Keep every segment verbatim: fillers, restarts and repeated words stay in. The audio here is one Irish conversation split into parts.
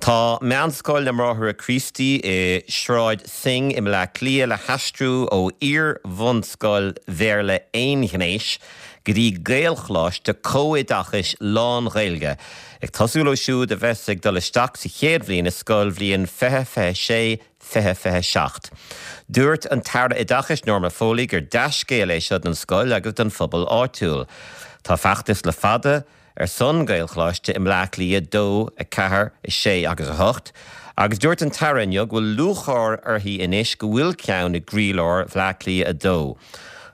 Tá Meánscoil na mBráithre Críostaí i Sráid Synge i mBleá Cliath le haistriú ó iar-bhunscoil Bhéarla aonghnéis go dtí Gaelcholáiste comhoideachais lán-Ghaeilge. Ag tosú leo siúd a bheas ag dul isteach sa chéad bhliain i scoilbhliain fiche fiche sé fiche fiche seacht. Dúirt an tAire Oideachais Norma Foley gur dea-scéal é seo don scoil agus don phobal áitiúil. Tá feachtas le fada ar son Gaelcholáiste i mBleá Cliath dó a ceathair a sé agus a hocht, agus dúirt an tAire inniu go bhfuil lúcháir uirthi anois go bhfuil ceann i gcroílár Bhleá Cliath a dó.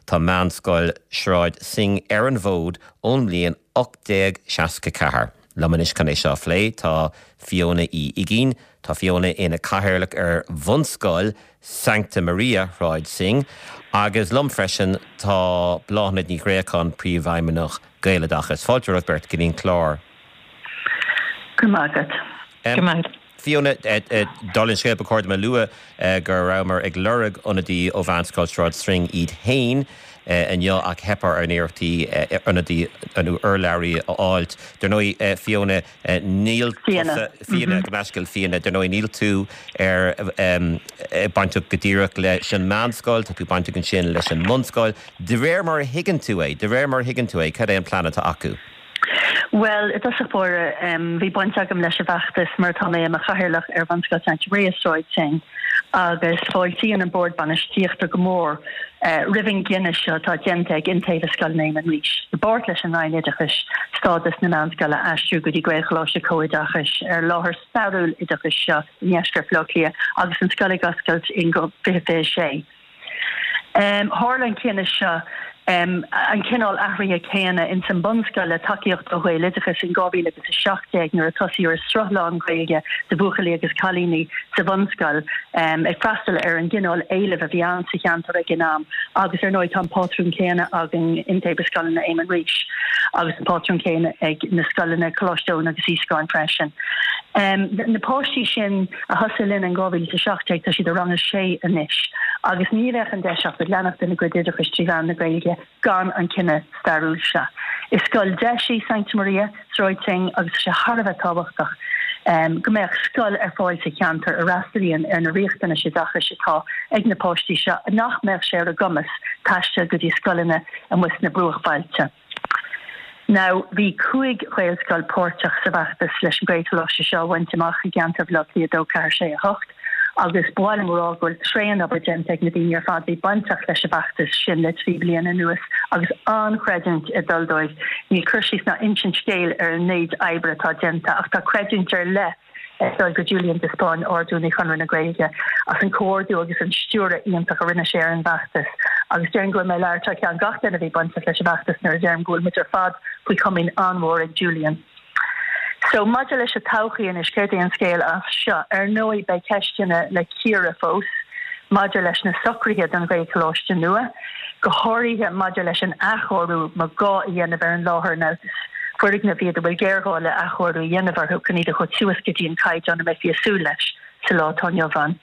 Tá Meánscoil Sráid Synge ar an bhfód ón mbliain ocht déag seasca ceathair. Liom anois chun é seo a phlé tá Fiona Uí Uiginn, tá Fiona ina cathaoirleach ar Bhunscoil Sancta Maria Shráid Synge, agus liom freisin tá Bláthnaid Ní Ghréacháin príomhfheidhmeannach Gaeloideachas. Fáilte romhaibh beirt go dtí an clár. Go maith agat. Go maith. Fiona, dála an scéil ba chóir dom a lua go rabhamar ag lorg ionadaí ó Mheánscoil Sráid Synge iad féin inniu ach theip ar ár n-iarrachtaí ionadaí nó urlabhraí a fháilt. Dar ndóigh, Fiona, níl tusa, Fiona, gabh mo leithscéal, Fiona, dar ndóigh níl tú ar bainteach go díreach leis an meánscoil, tá tú bainteach ansin leis an mbunscoil. De réir mar a thuigeann tú é, de réir mar a thuigeann tú é, cad é an plean atá acu? Bhuel, i dtosach báire, bhí baint agam leis an bhfeachtas mar tá mé i mo chathaoirleach ar Bhunscoil Sancta Maria Sráid Synge agus fáiltíonn an Bord Bainistíochta go mór roimh an gcinneadh seo atá déanta ag Iontaobhas Scoileanna Éamann Rís, i bpáirt leis an Roinn Oideachais, stádas na meánscoile a aistriú go dtí Gaelcholáiste Comhoideachais ar láthair stairiúil oideachais seo i ndeisceart Bhaile Átha Cliath agus an scoil ag oscailt in fiche fiche sé. Tharla an cinneadh seo, an cineál athraithe céanna ins an bunscoil le tacaíocht ó Ghaeloideachas in dhá mhíle agus a seacht déag nuair a tosaíodh ar sruth lán-Ghaeilge do bhuachaillí agus cailíní sa bhunscoil ag freastal ar an gcineál éilimh a bhí ann sa cheantar ag an am agus ar ndóigh tá an pátrún céanna againn Iontaobhas Scoileanna Éamann Rís agus an pátrún céanna ag na scoileanna Coláiste Eoin agus Íosacáin freisin. Na páistí sin a thosaigh linn in dhá mhíle is a seacht déag, tá siad i rang a sé anois agus ní bheadh an deis acu leanacht lena gcuid oideachais trí mheán na Gaeilge gan an cinneadh stairiúil seo. Is scoil deis í Sancta Maria, Sráid Synge agus tá sé thar a bheith tábhachtach go mbeadh scoil ar fáil sa cheantar a fhreastalaíonn ar na riachtanais oideachais atá ag na páistí seo nach mbeadh sé ar a gcumas taisteal go dtí scoileanna amuigh sna bruachbhailte. Now, bhí cúig Ghaelscoil páirteach sa bhfeachtas leis an Ghaelcholáiste seo a bhaint amach i gceantar Bhaile Átha Cliath a dó, ceathair, sé, a hocht agus ba mhaith liom a rá go bhfuil tréan-obair déanta ag na daoine ar fad a bhí bainteach leis an bhfeachtas sin le trí bliana anuas agus an-chreidiúint ag dul dóibh. Níl cur síos ná insint scéil ar an méid oibre atá déanta ach tá creidiúint ar leith ag dul go Julian de Spáinn, Ard-Rúnaí Chonradh na Gaeilge, as an comhordú agus an stiúradh iontach a rinne sé ar an bhfeachtas agus déarfainn go bhfuil mé ag labhairt thar ceann gach duine a bhí bainteach leis an bhfeachtas nuair a deirim go bhfuil muid ar fad faoi chomaoin an-mhór ag Julian. So, maidir leis an todhchaí anois, céard é an scéal as seo? Ar ndóigh, beidh ceisteanna le cíoradh fós maidir leis na socruithe don Ghaelcholáiste nua, go háirithe maidir leis an athchóiriú más gá a dhéanamh ar an láthair nó foirgnimh iad a bhfuil géarghá le athchóiriú a dhéanamh orthu chun iad a thabhairt suas go dtí an caighdeán a mbeifí ag súil leis sa lá atá inniu ann.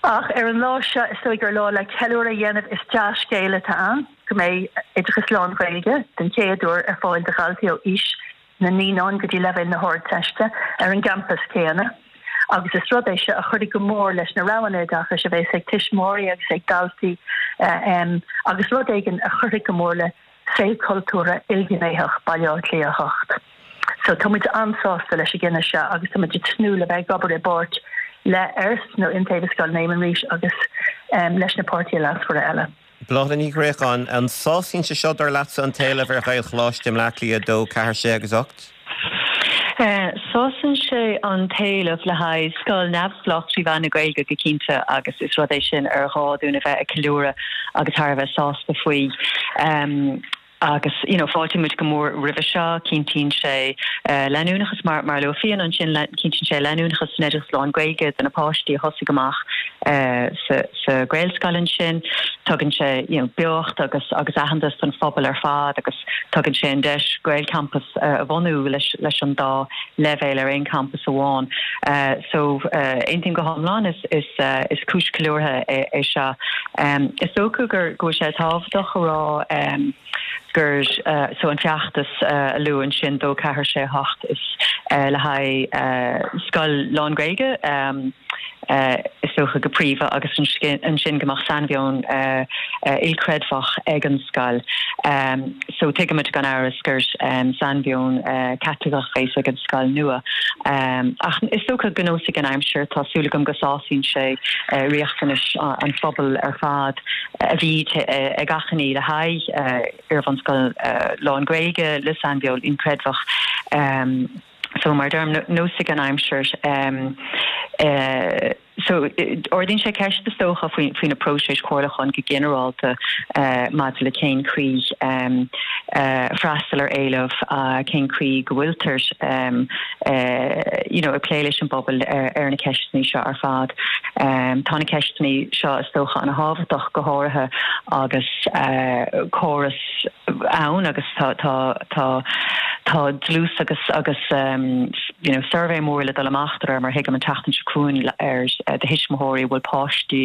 Ach ar an lá seo, is dóigh gur lá le ceiliúradh a dhéanamh. Is dea-scéal atá ann go mbeidh oideachas lán-Ghaeilge den chéad uair ar fáil do dhaltaí ó aois na naíonán go dtí leibhéal na hArdteiste ar an gcampas céanna agus is rud é seo a chuirfidh go mór leis na roghanna oideachais a bheas ag tuismitheoirí agus ag daltaí agus rud éigin a chuirfidh go mór le saol cultúrtha ilghnéitheach Baile Átha Cliath a hocht. So tá muid an-sásta leis an gcinneadh seo agus tá muid ag tnúth le bheith ag obair i bpáirt le ERS nó Iontaobhas Scoileanna Éamann Rís agus leis na páirtithe leasmhara eile. Bláthnaid Ní Ghréacháin, An sásaíonn sé seo, dar leatsa, an t-éileamh ar Ghaelcholáiste i mBleá Cliath a dó, ceathair, sé agus ocht? Sásaíonn sé an t-éileamh le haghaidh scoil neamhspleách trí mheán na Gaeilge go cinnte agus is rud é sin ar ghá dúinn a bheith ag ceiliúradh agus thar a bheith sásta faoi. Agus you know fáiltíonn muid go mór roimhe seo, cinntíonn sé leanúnachas mar mar a luaigh Fiona ansin, cinntíonn sé leanúnachas san oideachas lán-Ghaeilge do na páistí a thosaigh amach sa sa Ghaelscoil ansin. Tugann sé you know beocht agus agus aitheantas don phobal ar fad agus tugann sé an deis Gaelchampas a bhunú leis leis an dá leibhéal ar aon champas amháin. So aontaím go hiomlán is is is cúis ceiliúrtha é é seo. Is dócha gur go bhfuil sé tábhachtach a rá, gur uh, so an feachtas uh, a luadh ansin dó ceathair sé hocht is uh, le haghaidh uh, scoil lán-Ghaeilge um, uh, is dócha go príomha agus ansin go mbeadh sainmheon uh, uh, ilchreidmheach ag an scoil. Um, so tuigimid gan amhras gur um, sainmheon uh, Caitliceach bheas ag an scoil nua. Um, ach is dócha go neosfaidh an aimsir tá súil agam go sásaíonn sé uh, riachtanais an phobal ar fad a bhí uh, ag achainí le haghaidh uh, iarbhunscoil uh, lán-Ghaeilge le sainmheon ilchreidmheach. Um, so mar a deirim neosfaidh an aimsir um, uh, so ardaíonn sé ceist is dócha faoi faoi na próisis chomhairliúcháin go ginearálta uh, maidir le cén chaoi um, uh, freastal ar éileamh uh, cén chaoi go bhfuiltear um, uh, you know, ag plé leis an bpobal ar, ar na ceisteanna seo ar fad. Um, tá na ceisteanna seo is dócha an-thábhachtach go háirithe agus uh, córas ann agus tá tá tá tá dlús agus agus um, you know, suirbhé mór le dul amach mar thuigim an tseachtain seo chugainn ar uh, do thuismitheoirí bhfuil páistí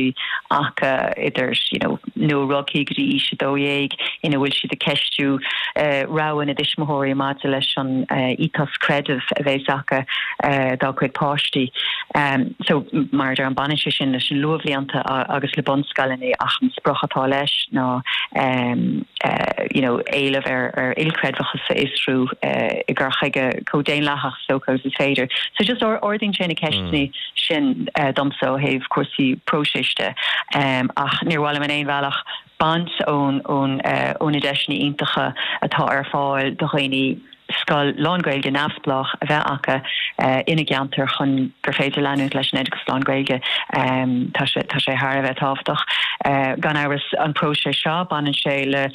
acu idir you know, nua-rugadh go dtí aois a dó dhéag ina bhfuil siad ag ceistiú uh, rogha na dtuismitheoirí maidir leis an uh, ethos creidimh a bheas acu uh, dá gcuid páistí. Um, so mar an baineann sé sin leis an luathbhlianta agus le bunscoileanna ach an sprioc atá leis ná um, uh, you know, éileamh ar, ar ilchreidmheachas a fhiosrú uh, i gcur chuige chomh daonlathach so is féidir. So just ardaíonn sé na ceisteanna mm. sin uh, domsa ó thaobh cúrsaí próisis de um, ach níor mhaith liom in aon bhealach baint ón ón uh, ó na deiseanna iontacha atá ar fáil do dhaoine scoil lán-Ghaeilge neamhspleách a bheith acu uh, ina gceantar chun gur féidir leanúint leis an oideachas lán-Ghaeilge um, tá sé tá sé thar a bheith tábhachtach uh, gan amhras an próiseas seo baineann sé le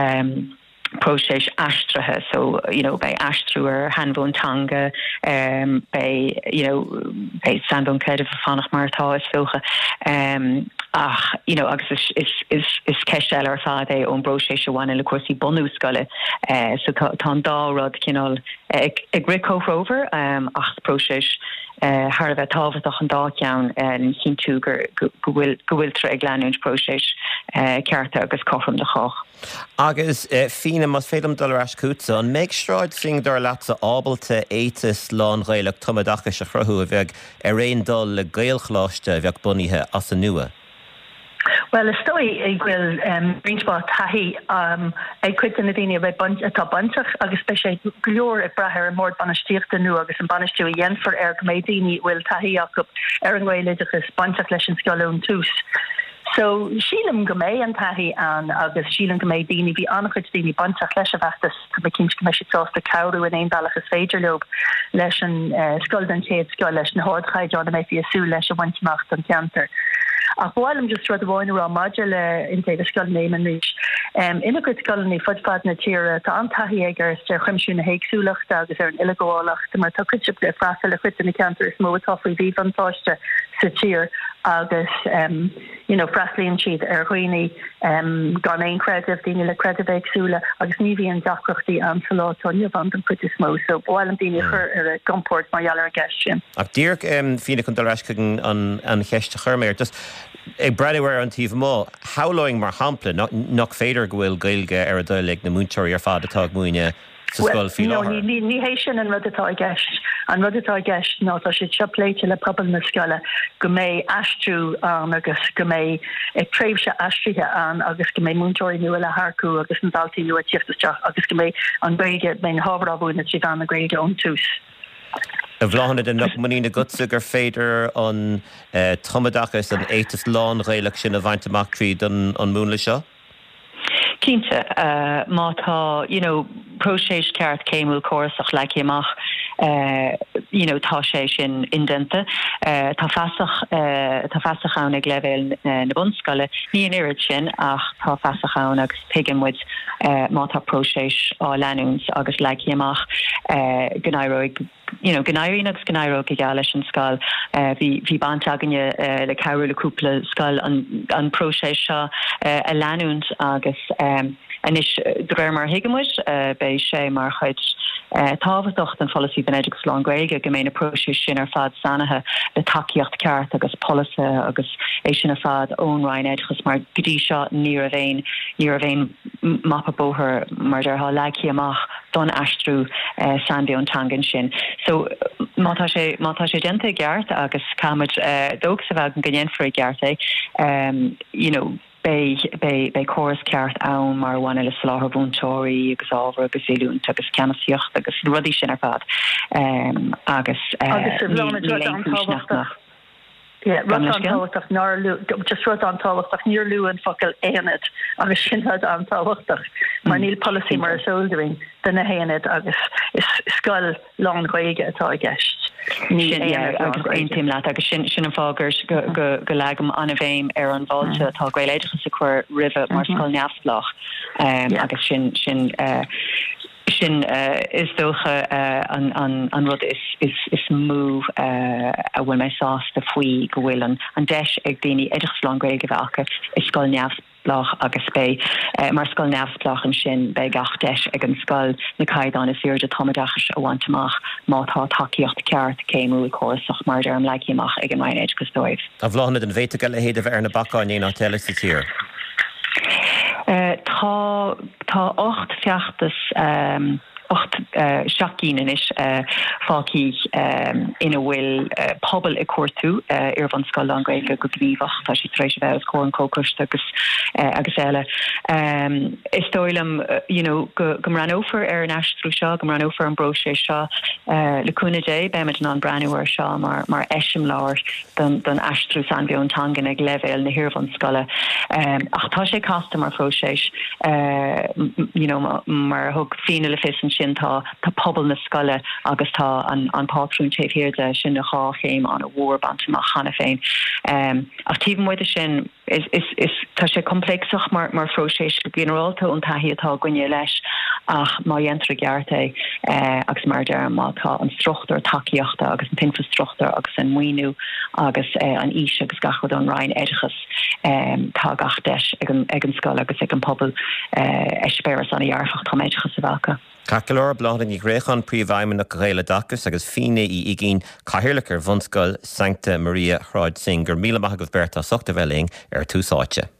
um, próiseas aistrithe so you know beidh aistriú ar shainmheon teanga um beidh you know beidh sainmheon creidimh ag fanacht mar atá is dócha um ach you know agus is is is is ceist eile ar fad é ón bpróiseas a bhaineann le cúrsaí bunú scoile uh, so tá tá an dá rud cineál ag ag rith comhthreomhar um ach próiseas uh, thar a bheith tábhachtach an dá cheann uh, cinntiú gur go bhfuil go bhfuiltear ag leanúint próiseas uh, cearta agus cothrom do chách. Agus uh, Fíona más féidir dul ar ais chugatsa an mbeidh Sráid Synge dar leatsa ábalta éiteas lán-Ghaelach tumoideachais a chruthú a bheadh ar aon dul le Gaelcholáiste a bheadh bunaithe as an nua. Well is dóigh go bhfuil um, roinnt mhaith taithí um, ag cuid de na daoine a bheidh atá bainteach agus beidh sé go leor ag brath ar an mbord bainistíochta nua agus an bainistiú a dhéanfar air go mbeidh daoine bhfuil taithí acu ar an nGaeloideachas bainteach leis an scoil ón tús. So sílim go mbeidh an taithí ann agus sílim go mbeidh daoine bhí an-chuid daoine bainteach leis an bhfeachtas go mbeidh cinnte go mbeidh siad sásta cabhrú in aon bhealach is féidir leo leis an uh, scoil den chéad scoth leis na hardchaighdeáin a mbeifí ag súil leis a bhaint amach don cheantar. Ach ba mhaith liom just rud amháin a rá maidir le Iontaobhas Scoileanna Éamoinn Rís. Um, ina gcuid scoileanna fud fad na tíre tá an-taithí aige ar chuimsiú na héagsúlachta agus ar an uileghabhálacht mar tá cuid le freastal le cuid de na ceantair is mó atá faoi mhíbhuntáiste sa tír agus um, you know, freastalaíonn siad ar dhaoine um, gan aon chreideamh daoine le creidimh éagsúla agus ní bhíonn deacrachtaí ann sa lá atá inniu ann den chuid is mó, so ba mhaith liom daoine a chur ar a gcompord mar gheall ar an gceist sin. Ach díreach um, Fíona chun dul ar ais chuig an, an cheist a chuir mé just ag breathnú ar an taobh amuigh, shamhlóinn mar shampla nach féidir go bhfuil Gaeilge ar a dtoil ag na múinteoirí ar fad atá ag múineadh sa scoil faoi láthair. Ní ní hé sin an rud atá i gceist. An rud atá i gceist ná tá sé seo pléite le pobal na scoile go mbeidh aistriú ann agus go mbeidh ag tréimhse aistrithe ann agus go mbeidh múinteoirí nua le hearcú agus na daltaí nua ag teacht isteach agus go mbeidh an Ghaeilge beidh na hábhair á múineadh trí mheán na Gaeilge ón tús. A Bhláthnaid an mbeadh muinín agatsa gur féidir an eh, tumoideachas an éiteas lán-Ghaelach sin a bhaint amach tríd an, an múnla seo? Cinnte uh, má tá you know, próiseas ceart céimiúil córasach leagtha amach uh, you know, tá sé sin indéanta uh, tá feasacht uh, tá feasacht ann ag leibhéal uh, na bunscoile ní an oiread sin ach tá feasacht ann agus tuigeann muid uh, má tá próiseas á leanúint agus leagtha amach uh, go n-éireoidh you know, go n-éiríonn agus go n-éireoidh go geal leis an scoil. Uh, bhí bhí baint againne uh, le cabhrú le cúpla scoil an, an próiseas seo uh, a leanúint agus um, anois de réir mar a thuigimid uh, beidh sé mar chuid uh, tábhachtach den pholasaí don oideachas lán-Ghaeilge go mbeidh na próisis sin ar fad sainithe le tacaíocht ceart agus polasaithe agus é sin ar fad ón Roinn Oideachais mar go dtí seo ní raibh aon ní raibh aon mapa bóthair mar a déarfá leagtha amach don aistriú sainmheon teangan sin. So má tá sé má tá sé déanta i gceart agus caithfimid dóchas a bheith go ndéanfar i gceart é um, you know, beidh beidh córas ceart ann mar bhaineann le soláthar múinteoirí agus ábhar agus oiliúint agus ceannasaíocht agus rudaí sin ar fad um, agus uh, agus rud an-tábhachtach nár just rud an-tábhachtach níor luadh an focal aonad agus sin rud an-tábhachtach mar níl polasaí mar is eol dúinn do na haonaid agus is scoil lán-Ghaeilge atá i gceist. agus aontaím leat agus sin sin an fáth go go go leagaim an-bhéim ar an bhfáilte atá Gaeloideachas a chur roimhe mar scoil neamhspleách um, agus sin sin uh, sin uh, is dócha uh, an, an, an rud is, is, is mó uh, a bhfuil mé sásta faoi go bhfuil an, an deis ag daoine oideachas lán-Ghaeilge a bheith acu i scoil neamhspleách agus beidh uh, mar scoil neamhspleách ansin beidh gach deis ag an scoil na caighdeáin is airde tumoideachais a bhaint amach má tá tacaíocht ceart céimiúil córasach mar ar an leagtha amach ag an Roinn Oideachais dóibh. A Bhláthnaid an bhféadfadh a leithéid a bheith ar na bacáin aon áit eile sa tír. Uh, tá tá ocht feachtas um, ocht uh, seacht gcinn anois uh, fágtha um, ina bhfuil uh, pobal ag cuartú uh, iarbhunscoil lán-Ghaeilge go gníomhach tá sí tar éis bheith os comhair an chomhchoiste agus uh, agus eile. Um, is dóigh liom uh, you know, go, go mbreathnófar ar an aistriú seo, go mbreathnófar an bpróiseas seo uh, le cúnamh Dé beimid in ann breathnú air seo mar, mar eiseamláir don, don aistriú sainmheon teangan ag leibhéal na hiarbhunscoile. Um, ach tá sé casta mar phróiseas uh, you know, mar thug Fíona le fios ansin tá tá pobal na scoile agus tá an, an pátrún taobh thiar de sin na dhá chéim an-mhór bainte amach cheana féin. Um, ach taobh amuigh de sin is, is, is tá sé compléacsach mar mar phróiseas go ginearálta an taithí atá againne leis ach má dhéantar i gceart é eh, agus mar deir má tá an struchtúr tacaíochta agus an t-infreastruchtúr agus an maoiniú agus eh, an fhís agus gach rud ón Roinn Oideachais um, tá gach deis ag an, ag an scoil agus ag an pobal eh, eispéireas an-dearfach tumoideachais a bheith acu. Ceart go leor Bláthnaid Ní Ghréacháin Príomhfheidhmeannach Ghaeloideachas agus Fíona Uí Uiginn Cathaoirleach ar Bhunscoil Sancta Maria Shráid Synge gur míle maith agaibh beirt as ucht a bheith linn ar Tús Áite.